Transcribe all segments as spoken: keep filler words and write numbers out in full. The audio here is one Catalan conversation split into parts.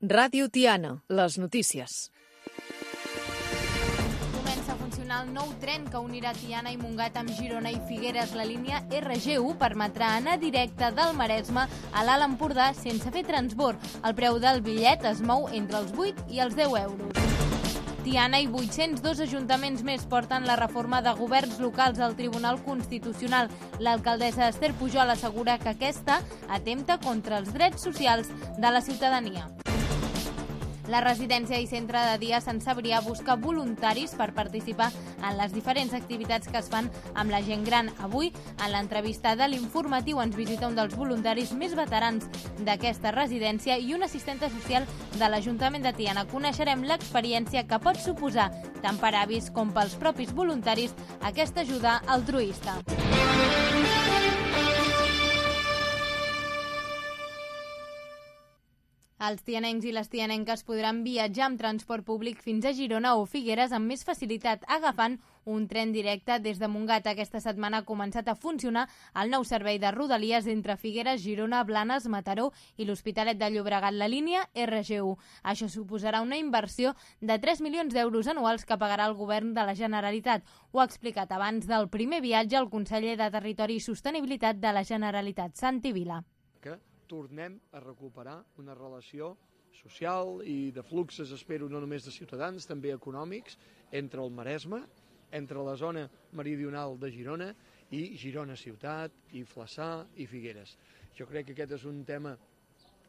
Ràdio Tiana, les notícies. Comença a funcionar el nou tren que unirà Tiana i Montgat amb Girona i Figueres. La línia erre ge u permetrà anar directe del Maresme a l'Alt Empordà sense fer transbord. El preu del bitllet es mou entre els vuit i els deu euros. Tiana i vuit-cents dos ajuntaments més porten la reforma de governs locals al Tribunal Constitucional. L'alcaldessa Esther Pujol assegura que aquesta atempta contra els drets socials de la ciutadania. La residència i centre de dia Sant Cebrià busca voluntaris per participar en les diferents activitats que es fan amb la gent gran. Avui, en l'entrevista de l'Informatiu, ens visita un dels voluntaris més veterans d'aquesta residència i una assistenta social de l'Ajuntament de Tiana. Coneixerem l'experiència que pot suposar, tant per avis com pels propis voluntaris, aquesta ajuda altruista. Els tianencs i les tianenques podran viatjar amb transport públic fins a Girona o Figueres amb més facilitat, agafant un tren directe des de Montgat. Aquesta setmana ha començat a funcionar el nou servei de Rodalies entre Figueres, Girona, Blanes, Mataró i l'Hospitalet de Llobregat, la línia erre ge u. Això suposarà una inversió de tres milions d'euros anuals que pagarà el govern de la Generalitat. Ho ha explicat abans del primer viatge el conseller de Territori i Sostenibilitat de la Generalitat, Santi Vila. Que tornem a recuperar una relació social i de fluxes, espero, no només de ciutadans, també econòmics, entre el Maresme, entre la zona meridional de Girona i Girona ciutat, i Flaçà i Figueres. Jo crec que aquest és un tema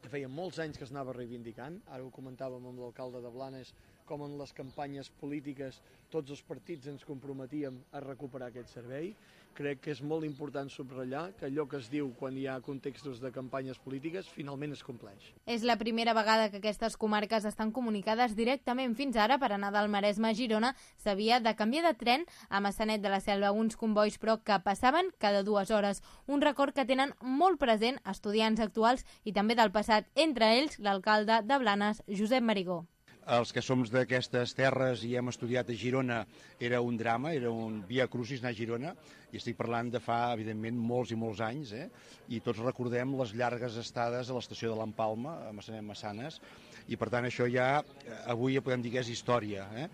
que feia molts anys que es anava reivindicant, ara ho comentàvem amb l'alcalde de Blanes, com en les campanyes polítiques tots els partits ens comprometíem a recuperar aquest servei. Crec que és molt important subratllar que allò que es diu quan hi ha contextos de campanyes polítiques finalment es compleix. És la primera vegada que aquestes comarques estan comunicades directament. Fins ara, per anar del Maresme a Girona, s'havia de canviar de tren a Maçanet de la Selva, uns combois però que passaven cada dues hores. Un record que tenen molt present estudiants actuals i també del passat, entre ells l'alcalde de Blanes, Josep Marigó. Els que som d'aquestes terres i hem estudiat a Girona era un drama, era un via crucis anar a Girona, i estic parlant de fa, evidentment, molts i molts anys, eh? I tots recordem les llargues estades a l'estació de l'Empalma, a Massanes, i per tant això ja, avui ja podem dir que és història, eh?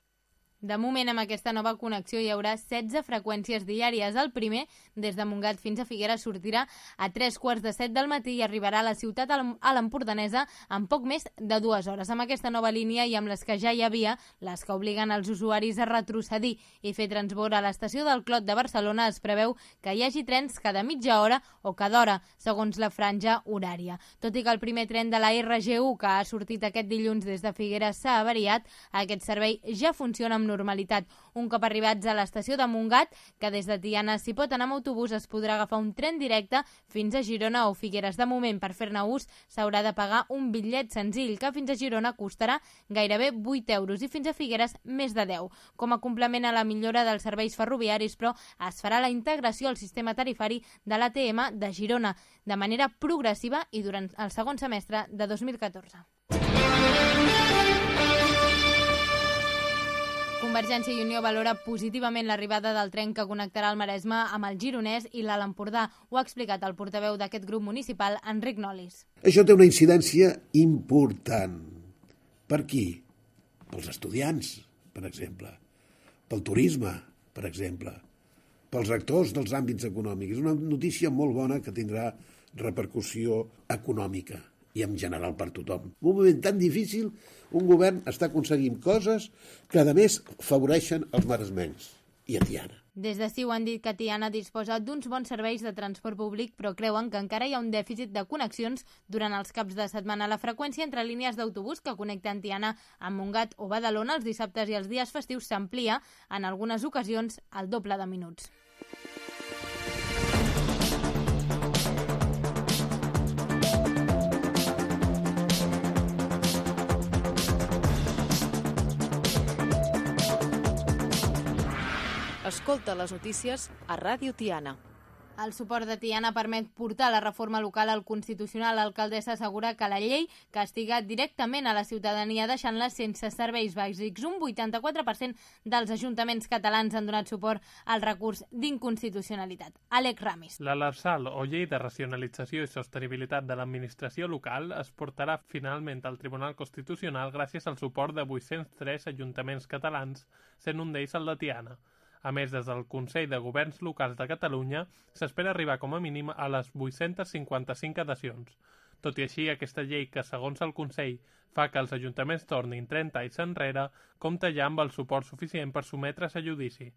De moment, amb aquesta nova connexió hi haurà setze freqüències diàries. El primer, des de Montgat fins a Figueres, sortirà a tres quarts de set del matí i arribarà a la ciutat a l'Empordanesa en poc més de dues hores. Amb aquesta nova línia i amb les que ja hi havia, les que obliguen els usuaris a retrocedir i fer transbord a l'estació del Clot de Barcelona, es preveu que hi hagi trens cada mitja hora o cada hora, segons la franja horària. Tot i que el primer tren de la erre ge u, que ha sortit aquest dilluns des de Figueres, s'ha avariat, aquest servei ja funciona amb normalitat. Un cop arribats a l'estació de Montgat, que des de Tiana s'hi pot anar amb autobús, es podrà agafar un tren directe fins a Girona o Figueres. De moment, per fer-ne ús, s'haurà de pagar un bitllet senzill, que fins a Girona costarà gairebé vuit euros i fins a Figueres més de deu. Com a complement a la millora dels serveis ferroviaris, però, es farà la integració al sistema tarifari de l'A T M de Girona, de manera progressiva i durant el segon semestre de dos mil catorze. Convergència i Unió valora positivament l'arribada del tren que connectarà el Maresme amb el Gironès i l'Alt Empordà. Ho ha explicat el portaveu d'aquest grup municipal, Enric Nolis. Això té una incidència important. Per qui? Pels estudiants, per exemple. Pel turisme, per exemple. Pels actors dels àmbits econòmics. És una notícia molt bona que tindrà repercussió econòmica i en general per tothom. En un moment tan difícil, un govern està aconseguint coses que, a més, favoreixen els maresmencs i a Tiana. Des de CiU han dit que Tiana disposa d'uns bons serveis de transport públic, però creuen que encara hi ha un dèficit de connexions durant els caps de setmana. La freqüència entre línies d'autobús que connecten Tiana amb Montgat o Badalona els dissabtes i els dies festius s'amplia, en algunes ocasions, al doble de minuts. Escolta les notícies a Ràdio Tiana. El suport de Tiana permet portar la reforma local al Constitucional. L'alcaldessa assegura que la llei castiga directament a la ciutadania deixant-la sense serveis bàsics. Un vuitanta-quatre per cent dels ajuntaments catalans han donat suport al recurs d'inconstitucionalitat. Àlex Ramis. La Lrsal, o Llei de Racionalització i Sostenibilitat de l'Administració Local, es portarà finalment al Tribunal Constitucional gràcies al suport de vuit-cents tres ajuntaments catalans, sent un d'ells el de Tiana. A més, des del Consell de Governs Locals de Catalunya s'espera arribar com a mínim a les vuit-cents cinquanta-cinc adhesions. Tot i així, aquesta llei que, segons el Consell, fa que els ajuntaments tornin trenta anys enrere, compta ja amb el suport suficient per sotmetre's a judici.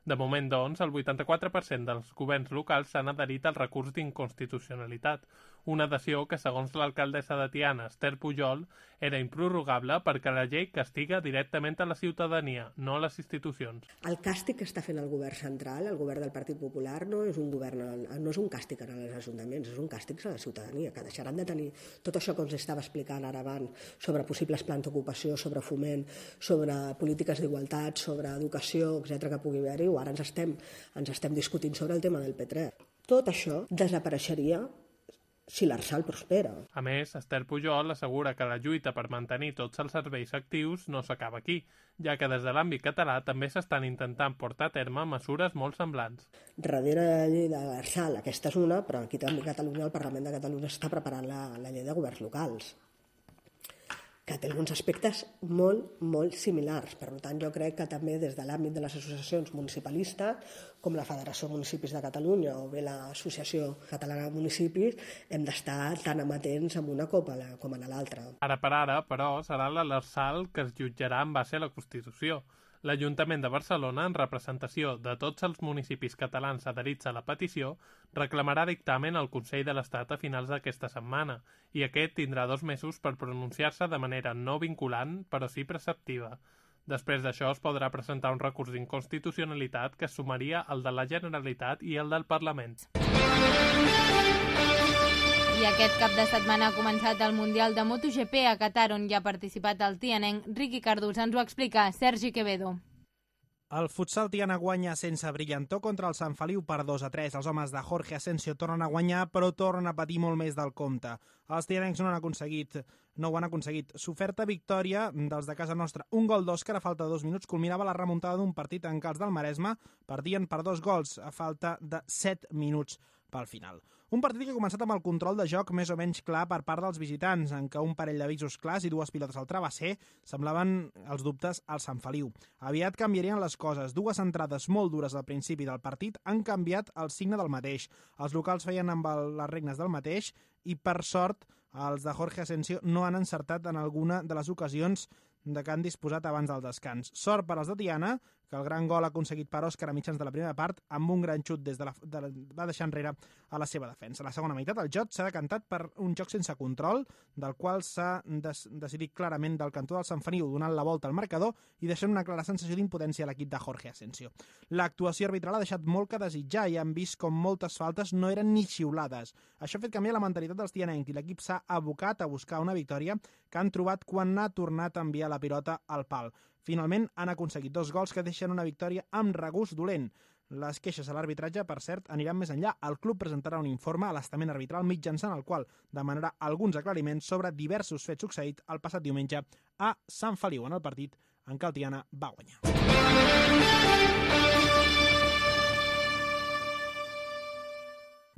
De moment, doncs, el vuitanta-quatre per cent dels governs locals s'han adherit al recurs d'inconstitucionalitat, una adhesió que, segons l'alcaldessa de Tiana, Esther Pujol, era improrrogable perquè la llei castiga directament a la ciutadania, no a les institucions. El càstig que està fent el govern central, el govern del Partit Popular, no és un govern, no és un càstig als ajuntaments, és un càstig a la ciutadania, que deixaran de tenir tot això que ens estava explicant ara abans sobre possibles plans d'ocupació, sobre foment, sobre polítiques d'igualtat, sobre educació, etcètera que pugui haver-hi, o ara ens estem, ens estem discutint sobre el tema del P tres. Tot això desapareixeria si l'Arsal prospera. A més, Esther Pujol assegura que la lluita per mantenir tots els serveis actius no s'acaba aquí, ja que des de l'àmbit català també s'estan intentant portar a terme mesures molt semblants. Darrere de la llei de l'Arsal, aquesta és una, però aquí també a Catalunya, el Parlament de Catalunya està preparant la, la llei de governs locals, que té alguns aspectes molt, molt similars. Per tant, jo crec que també des de l'àmbit de les associacions municipalistes, com la Federació de Municipis de Catalunya o bé l'Associació Catalana de Municipis, hem d'estar tan amatents en una com en l'altra. Ara per ara, però, serà la Lrsal que es jutjarà en base a la Constitució. L'Ajuntament de Barcelona, en representació de tots els municipis catalans adherits a la petició, reclamarà dictamen al Consell de l'Estat a finals d'aquesta setmana, i aquest tindrà dos mesos per pronunciar-se de manera no vinculant, però sí preceptiva. Després d'això es podrà presentar un recurs d'inconstitucionalitat que sumaria el de la Generalitat i el del Parlament. I aquest cap de setmana ha començat el Mundial de MotoGP a Qatar, on hi ha participat el tianenc Riqui Cardús. Ens ho explica Sergi Quevedo. El futsal tiana guanya sense brillantor contra el Sant Feliu per dos a tres. Els homes de Jorge Asensio tornen a guanyar, però tornen a patir molt més del compte. Els tianencs no han aconseguit, no ho han aconseguit. S'oferta victòria dels de casa nostra. Un gol d'Òscar a falta de dos minuts culminava la remuntada d'un partit en què els del Maresme perdien per dos gols a falta de set minuts pel final. Un partit que ha començat amb el control de joc més o menys clar per part dels visitants, en què un parell d'avisos clars i dues pilotes al travesser semblaven els dubtes al Sant Feliu. Aviat canviarien les coses. Dues entrades molt dures al principi del partit han canviat el signe del mateix. Els locals feien amb el, les regnes del mateix i, per sort, els de Jorge Asensio no han encertat en alguna de les ocasions de que han disposat abans del descans. Sort per als de Tiana, que el gran gol aconseguit per Òscar a mitjans de la primera part, amb un gran xut des de la, de la, va deixar enrere a la seva defensa. A la segona meitat el joc s'ha decantat per un joc sense control, del qual s'ha des, decidit clarament del cantó del Sant Feliu, donant la volta al marcador i deixant una clara sensació d'impotència a l'equip de Jorge Asensio. L'actuació arbitral ha deixat molt que desitjar i han vist com moltes faltes no eren ni xiulades. Això ha fet canviar la mentalitat dels tianencs i l'equip s'ha abocat a buscar una victòria que han trobat quan n'ha tornat a enviar la pilota al pal. Finalment han aconseguit dos gols que deixen una victòria amb regust dolent. Les queixes a l'arbitratge, per cert, aniran més enllà. El club presentarà un informe a l'estament arbitral mitjançant el qual demanarà alguns aclariments sobre diversos fets succeïts el passat diumenge a Sant Feliu, en el partit en què el Tiana va guanyar.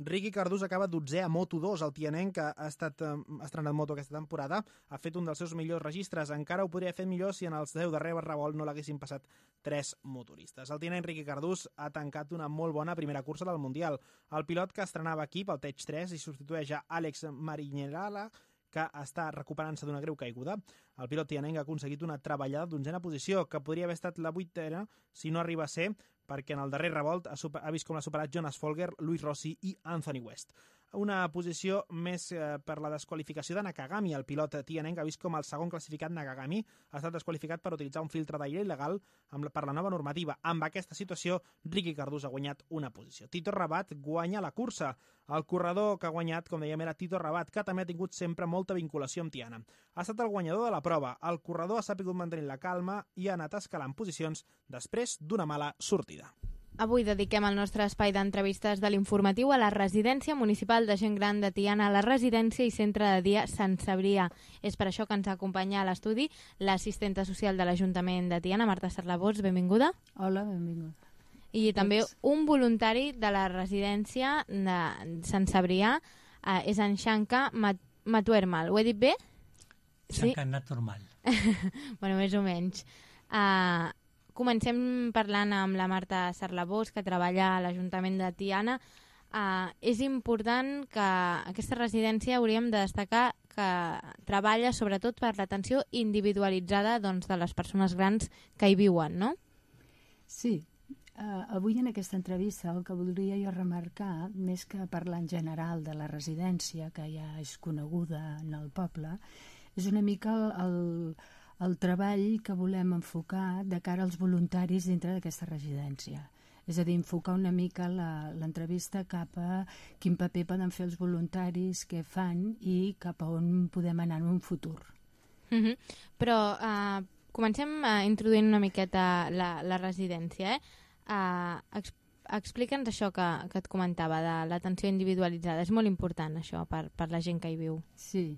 Riqui Cardús acaba dotzè a Moto dos. El tianenc, que ha estat eh, estrenat moto aquesta temporada, ha fet un dels seus millors registres. Encara ho podria fer millor si en els deu darrers revolt no l'haguessin passat tres motoristes. El tianenc Riqui Cardús ha tancat una molt bona primera cursa del Mundial. El pilot que estrenava equip, el Tech tres, i substitueix a Àlex Mariñerala, que està recuperant-se d'una greu caiguda. El pilot tianenc ha aconseguit una treballada d'onzena posició, que podria haver estat la vuitena si no arriba a ser, perquè en el darrer revolt ha, super, ha vist com l'ha superat Jonas Folger, Luis Rossi i Anthony West. Una posició més eh, per la desqualificació de Nakagami. El pilot tianenc ha vist com el segon classificat Nakagami ha estat desqualificat per utilitzar un filtre d'aire il·legal amb la, per la nova normativa. Amb aquesta situació, Riqui Cardús ha guanyat una posició. Tito Rabat guanya la cursa. El corredor que ha guanyat, com dèiem, era Tito Rabat, que també ha tingut sempre molta vinculació amb Tiana. Ha estat el guanyador de la prova. El corredor ha sabut mantenir la calma i ha anat escalant posicions després d'una mala sortida. Avui dediquem el nostre espai d'entrevistes de l'informatiu a la residència municipal de gent gran de Tiana, a la residència i centre de dia Sant Cebrià. És per això que ens acompanya a l'estudi l'assistenta social de l'Ajuntament de Tiana, Marta Sarlabós, benvinguda. Hola, benvinguda. I també un voluntari de la residència de Sant Cebrià, eh, és en Xanca Matuermal. Ho he dit bé? Xanca Naturmal. Bueno, més o menys. Uh, Comencem parlant amb la Marta Sarlabós, que treballa a l'Ajuntament de Tiana. Uh, és important que aquesta residència, hauríem de destacar, que treballa sobretot per l'atenció individualitzada, doncs, de les persones grans que hi viuen, no? Sí. Uh, avui en aquesta entrevista el que voldria jo remarcar, més que parlar en general de la residència, que ja és coneguda en el poble, és una mica el... el el treball que volem enfocar de cara als voluntaris dintre d'aquesta residència. És a dir, enfocar una mica l'entrevista cap a quin paper poden fer els voluntaris, què fan i cap a on podem anar en un futur. Mm-hmm. Però uh, comencem uh, introduint una miqueta la, la residència. Eh? Uh, ex Explica'ns això que, que et comentava, de l'atenció individualitzada. És molt important això per, per la gent que hi viu. Sí.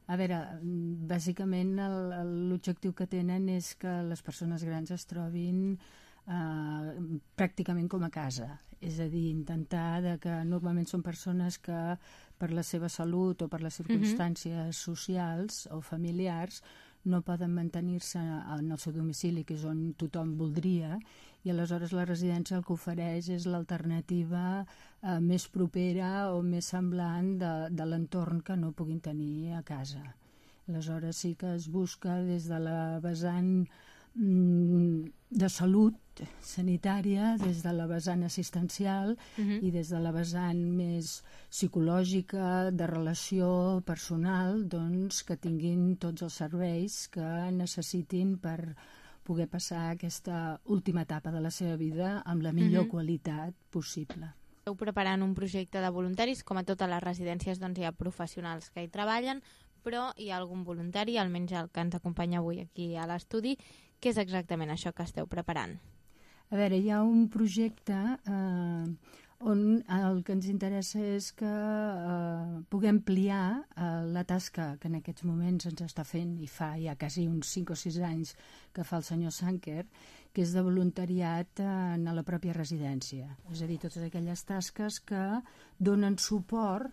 A veure, bàsicament l'objectiu que tenen és que les persones grans es trobin eh, pràcticament com a casa. És a dir, intentar de que normalment són persones que per la seva salut o per les circumstàncies mm-hmm. socials o familiars no poden mantenir-se en el seu domicili, que és on tothom voldria, i aleshores la residència el que ofereix és l'alternativa eh, més propera o més semblant de, de l'entorn que no puguin tenir a casa. Aleshores sí que es busca des de la vessant mm, de salut sanitària, des de la vessant assistencial uh-huh. i des de la vessant més psicològica, de relació personal, doncs que tinguin tots els serveis que necessitin per poder passar aquesta última etapa de la seva vida amb la millor uh-huh. qualitat possible. Esteu preparant un projecte de voluntaris, com a totes les residències doncs hi ha professionals que hi treballen, però hi ha algun voluntari, almenys el que ens acompanya avui aquí a l'estudi. Què és exactament això que esteu preparant? A veure, hi ha un projecte eh, on el que ens interessa és que eh, puguem ampliar eh, la tasca que en aquests moments ens està fent, i fa ja quasi uns cinc o sis anys que fa el senyor Sanker, que és de voluntariat en la pròpia residència. És a dir, totes aquelles tasques que donen suport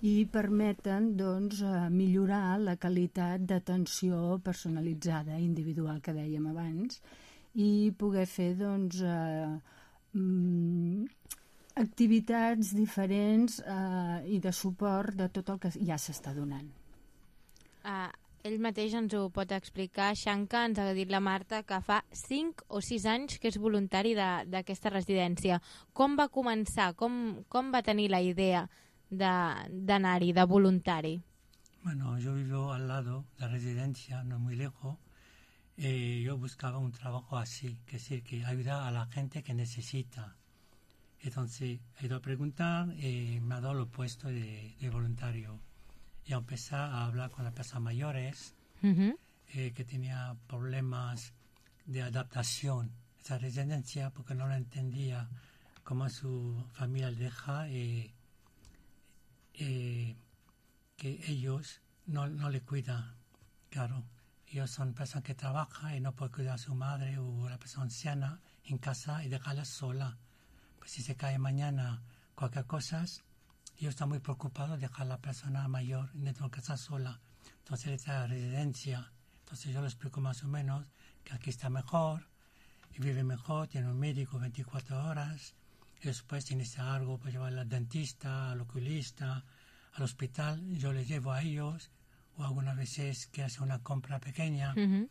i permeten doncs, millorar la qualitat d'atenció personalitzada, individual, que dèiem abans, i poder fer doncs, eh, activitats diferents eh, i de suport de tot el que ja s'està donant. Uh, ell mateix ens ho pot explicar. Xanca, ens ha dit la Marta que fa cinc o sis anys que és voluntari d'aquesta residència. Com va començar? Com, com va tenir la idea d'anar-hi, de, de voluntari? Bueno, yo vivo al lado de la residencia, no muy lejos. Eh, yo buscaba un trabajo así, que es decir, que ayuda a la gente que necesita. Entonces he ido a preguntar y me ha dado el puesto de, de voluntario. Y empecé a hablar con las personas mayores uh-huh. eh, que tenían problemas de adaptación a esa residencia porque no lo entendía cómo su familia le deja eh, eh, que ellos no, no le cuidan, claro. Ellos son personas que trabajan y no pueden cuidar a su madre o a la persona anciana en casa y dejarla sola. Pues si se cae mañana cualquier cosa, ellos están muy preocupados de dejar a la persona mayor dentro de casa sola. Entonces le trae a la residencia. Entonces yo le explico más o menos que aquí está mejor, y vive mejor, tiene un médico veinticuatro horas, y después si necesita algo, pues llevar al dentista, al oculista, al hospital. Yo les llevo a ellos, o algunas veces que hace una compra pequeña, uh-huh.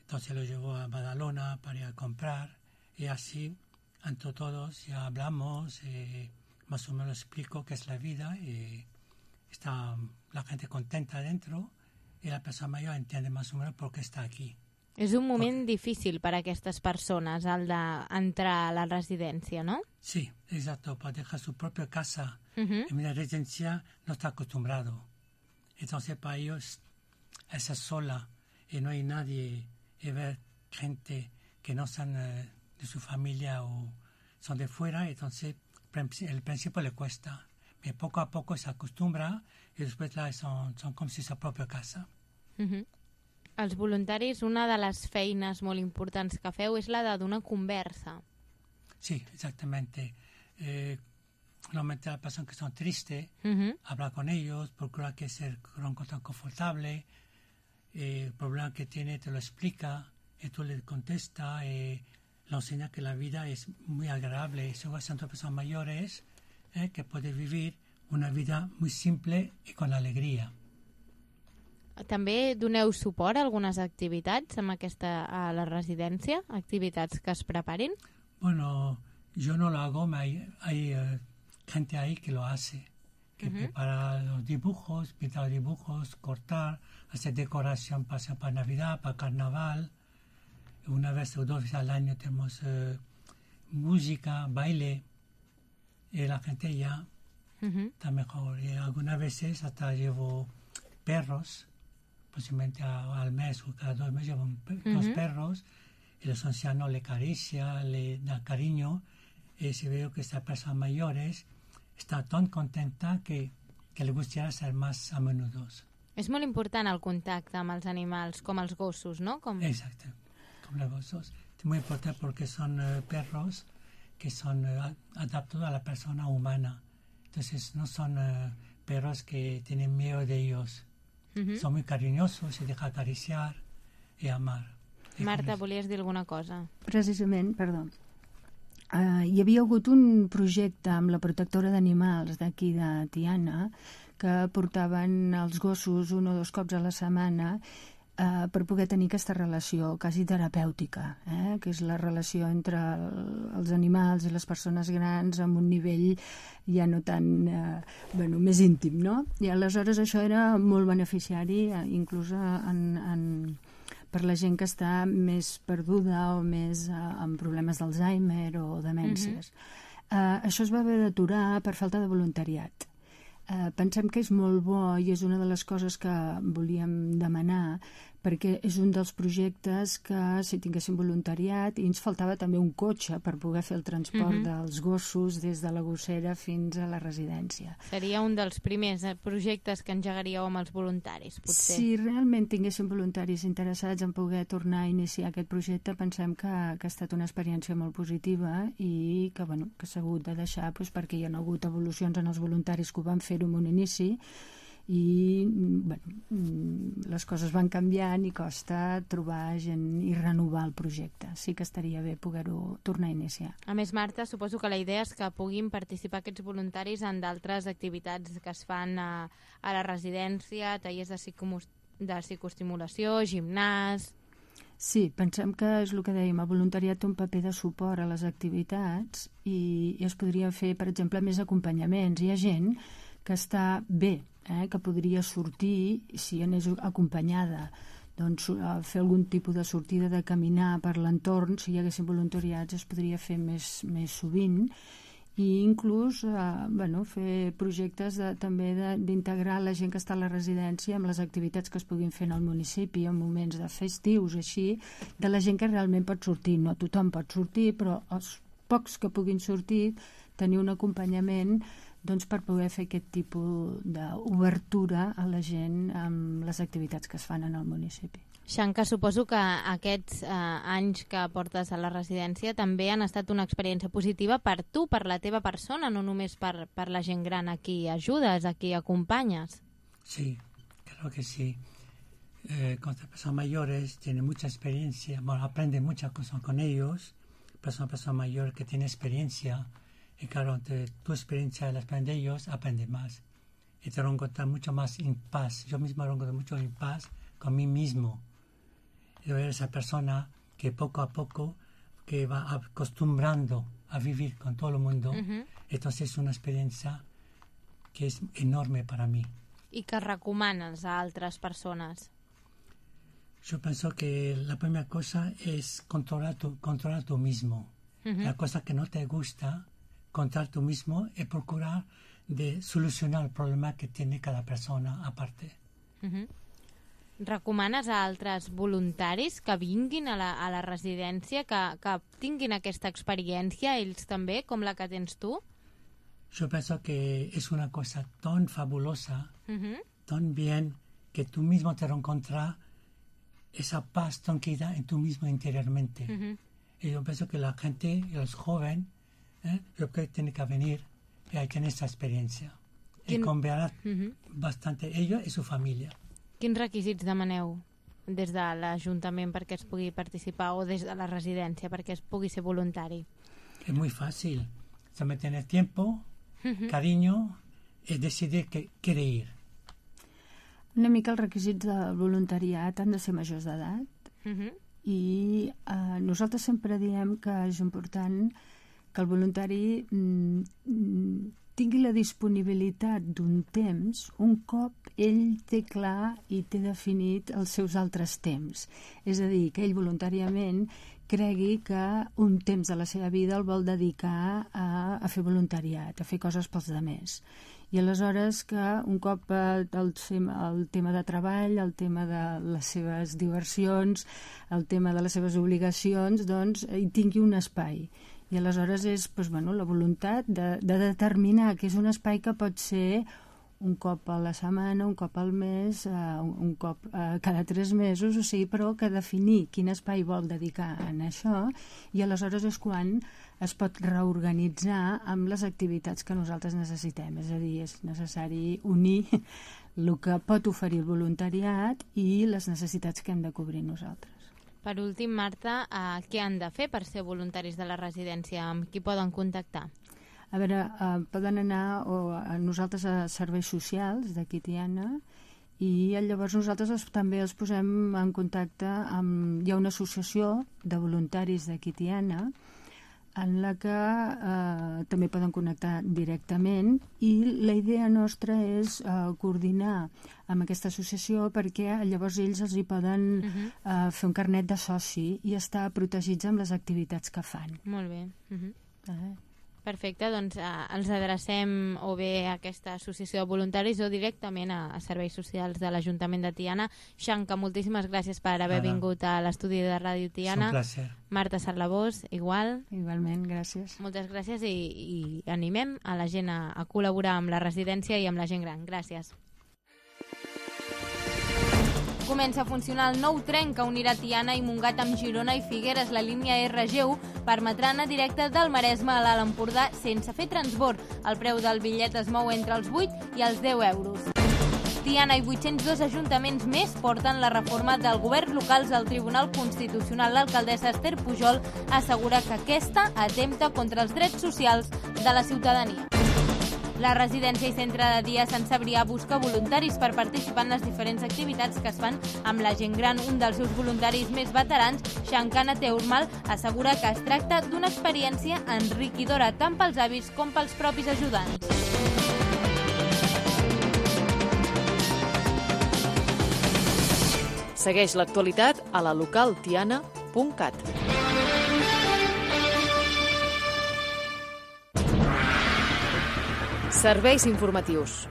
entonces lo llevo a Badalona para ir a comprar, y así, entre todos, ya hablamos, eh, más o menos explico qué es la vida, y está la gente contenta dentro, y la persona mayor entiende más o menos por qué está aquí. És un moment Porque... difícil per a aquestes persones, el d'entrar a la residència, ¿no? Sí, exacto, para dejar su propia casa. Uh-huh. En la residencia no está acostumbrado. Entonces para ellos esa sola y no hay nadie, y ver gente que no son eh, de su familia o son de fuera, entonces el principio le cuesta. Pero poco a poco se acostumbra y después la son, son como si su propia casa. Uh-huh. Els voluntaris, una de les feines molt importants que feu és la de donar conversa. Sí, exactamente. Eh, normalmente las personas que son tristes, uh-huh. hablar con ellos, procurar que se encuentren confortable, eh, el problema que tiene te lo explica, y tú le contestas, eh, le enseña que la vida es muy agradable, y son personas mayores eh, que pueden vivir una vida muy simple y con alegría. També doneu suport a algunes activitats amb aquesta, a la residència? Activitats que es preparin? Bueno, yo no lo hago, hay, hay uh, gente ahí que lo hace, que uh-huh. prepara los dibujos, pinta los dibujos, cortar, hacer decoración para, para Navidad, para Carnaval. Una vez o dos veces al año tenemos uh, música, baile, y la gente ya uh-huh. está mejor. Y algunas veces hasta llevo perros, posiblemente a, al mes o cada dos meses llevo uh-huh. dos perros, y los ancianos le acaricia, le da cariño, y si veo que estas personas mayores está tan contenta que, que le gustaría ser más a menudo. És molt important el contacte amb els animals, com els gossos, ¿no? Com... Exacto, como los gossos. Es muy importante porque son uh, perros que son uh, adaptados a la persona humana. Entonces no son uh, perros que tienen miedo de ellos. Uh-huh. Son muy cariñosos, se deja acariciar y amar. I Marta, volies dir alguna cosa? Precisament, perdó. Uh, hi havia hagut un projecte amb la protectora d'animals d'aquí de Tiana que portaven els gossos un o dos cops a la setmana uh, per poder tenir aquesta relació quasi terapèutica, eh? Que és la relació entre el, els animals i les persones grans amb un nivell ja no tan, uh, bueno, més íntim, no? I aleshores això era molt beneficiari, uh, inclús en... en per la gent que està més perduda o més uh, amb problemes d'Alzheimer o demències. Uh-huh. Uh, això es va haver d'aturar per falta de voluntariat. Uh, pensem que és molt bo i és una de les coses que volíem demanar, perquè és un dels projectes que si tinguéssim voluntariat, i ens faltava també un cotxe per poder fer el transport uh-huh. dels gossos des de la gossera fins a la residència. Seria un dels primers projectes que engegaríeu amb els voluntaris, potser. Si realment tinguéssim voluntaris interessats en poder tornar a iniciar aquest projecte, pensem que, que ha estat una experiència molt positiva i que, bueno, que s'ha hagut de deixar doncs, perquè hi ha hagut evolucions en els voluntaris que ho van fer-ho en un inici i bueno, les coses van canviant i costa trobar gent i renovar el projecte. Sí que estaria bé poder-ho tornar a iniciar. A més, Marta, suposo que la idea és que puguin participar aquests voluntaris en d'altres activitats que es fan a, a la residència, tallers de, psicomus, de psicoestimulació, gimnàs... Sí, pensem que és el que dèiem, el voluntariat té un paper de suport a les activitats i, i es podria fer, per exemple, més acompanyaments. Hi ha gent que està bé, eh, que podria sortir, si anés acompanyada, doncs fer algun tipus de sortida de caminar per l'entorn, si hi haguessin voluntariats es podria fer més, més sovint i inclús eh, bueno, fer projectes de, també d'integrar la gent que està a la residència amb les activitats que es puguin fer en el municipi en moments de festius, així, de la gent que realment pot sortir. No tothom pot sortir, però els pocs que puguin sortir tenir un acompanyament doncs, per poder fer aquest tipus d'obertura a la gent amb les activitats que es fan en el municipi. Xanca, suposo que aquests eh, anys que portes a la residència també han estat una experiència positiva per tu, per la teva persona, no només per, per la gent gran a qui ajudes, a qui acompanyes. Sí, creo que sí. Eh, con las personas mayores tienen mucha experiencia, bueno, aprenden muchas cosas con ellos, pero son personas mayores que tienen experiencia. Y claro, entre tu experiencia y la experiencia de ellos, aprendes más. Y te lo encuentras mucho más en paz. Yo mismo lo encuentro mucho en paz con mí mismo. Y ver esa persona que poco a poco que va acostumbrando a vivir con todo el mundo. Uh-huh. Entonces es una experiencia que es enorme para mí. I que recomanes a altres persones? Yo pienso que la primera cosa es controlar tu, controlar tú mismo. Uh-huh. La cosa que no te gusta, controlar tú mismo y procurar de solucionar el problema que tiene cada persona aparte. Uh-huh. Recomanes a altres voluntaris que vinguin a la, a la residència, que, que tinguin aquesta experiència, ells també, com la que tens tu? Yo pienso que es una cosa tan fabulosa, Uh-huh. tan bien, que tú mismo te encuentras esa paz, tranquilidad en tú mismo interiormente. Uh-huh. Y yo pienso que la gente, los jóvenes, ¿eh? yo creo que tienen que venir y ahí tienen esa experiencia. Y Quin... cambiará Uh-huh. bastante ellos y su familia. Quins requisits demaneu des de l'Ajuntament perquè es pugui participar o des de la residència perquè es pugui ser voluntari? Es muy fácil. Solamente tener tiempo, uh-huh. cariño, y decidir que quiere ir. Una mica els requisits del voluntariat han de ser majors d'edat Uh-huh. i eh, nosaltres sempre diem que és important que el voluntari mm, tingui la disponibilitat d'un temps un cop ell té clar i té definit els seus altres temps. És a dir, que ell voluntàriament cregui que un temps de la seva vida el vol dedicar a, a fer voluntariat, a fer coses pels demés. I aleshores que un cop eh, el, el tema de treball, el tema de les seves diversions, el tema de les seves obligacions, doncs hi tingui un espai. I aleshores és doncs, bueno, la voluntat de, de determinar que és un espai que pot ser un cop a la setmana, un cop al mes, uh, un, un cop uh, cada tres mesos, o sigui, però que definir quin espai vol dedicar en això i aleshores és quan es pot reorganitzar amb les activitats que nosaltres necessitem. És a dir, és necessari unir el que pot oferir el voluntariat i les necessitats que hem de cobrir nosaltres. Per últim, Marta, eh, què han de fer per ser voluntaris de la residència? Amb qui poden contactar? A veure, eh, poden anar o a nosaltres a serveis socials d'aquí Tiana i llavors nosaltres els, també els posem en contacte amb... Hi ha una associació de voluntaris d'aquí Tiana en la que eh, també poden connectar directament i la idea nostra és eh, coordinar amb aquesta associació perquè llavors ells els hi poden uh-huh. eh, fer un carnet de soci i estar protegits amb les activitats que fan. Molt bé. Uh-huh. Eh? Perfecte, doncs eh, els adrecem o bé a aquesta associació de voluntaris o directament a, a serveis socials de l'Ajuntament de Tiana. Xanca, moltíssimes gràcies per haver Nada. vingut a l'estudi de Ràdio Tiana. És un placer. Marta Sarlabós, igual. Igualment, gràcies. Moltes gràcies i, i animem a la gent a, a col·laborar amb la residència i amb la gent gran. Gràcies. Comença a funcionar el nou tren que unirà Tiana i Montgat amb Girona i Figueres. La línia R G u permetrà anar directe del Maresme a l'Alt Empordà sense fer transbord. El preu del bitllet es mou entre els vuit i els deu euros. Tiana i vuit-cents dos ajuntaments més porten la reforma del govern locals al Tribunal Constitucional. L'alcaldessa Esther Pujol assegura que aquesta atempta contra els drets socials de la ciutadania. La residència i centre de dia Sant Cebrià busca voluntaris per participar en les diferents activitats que es fan amb la gent gran. Un dels seus voluntaris més veterans, Shankana Teurmal, assegura que es tracta d'una experiència enriquidora tant pels avis com pels propis ajudants. Segueix l'actualitat a la local tiana punt cat. Serveis informatius.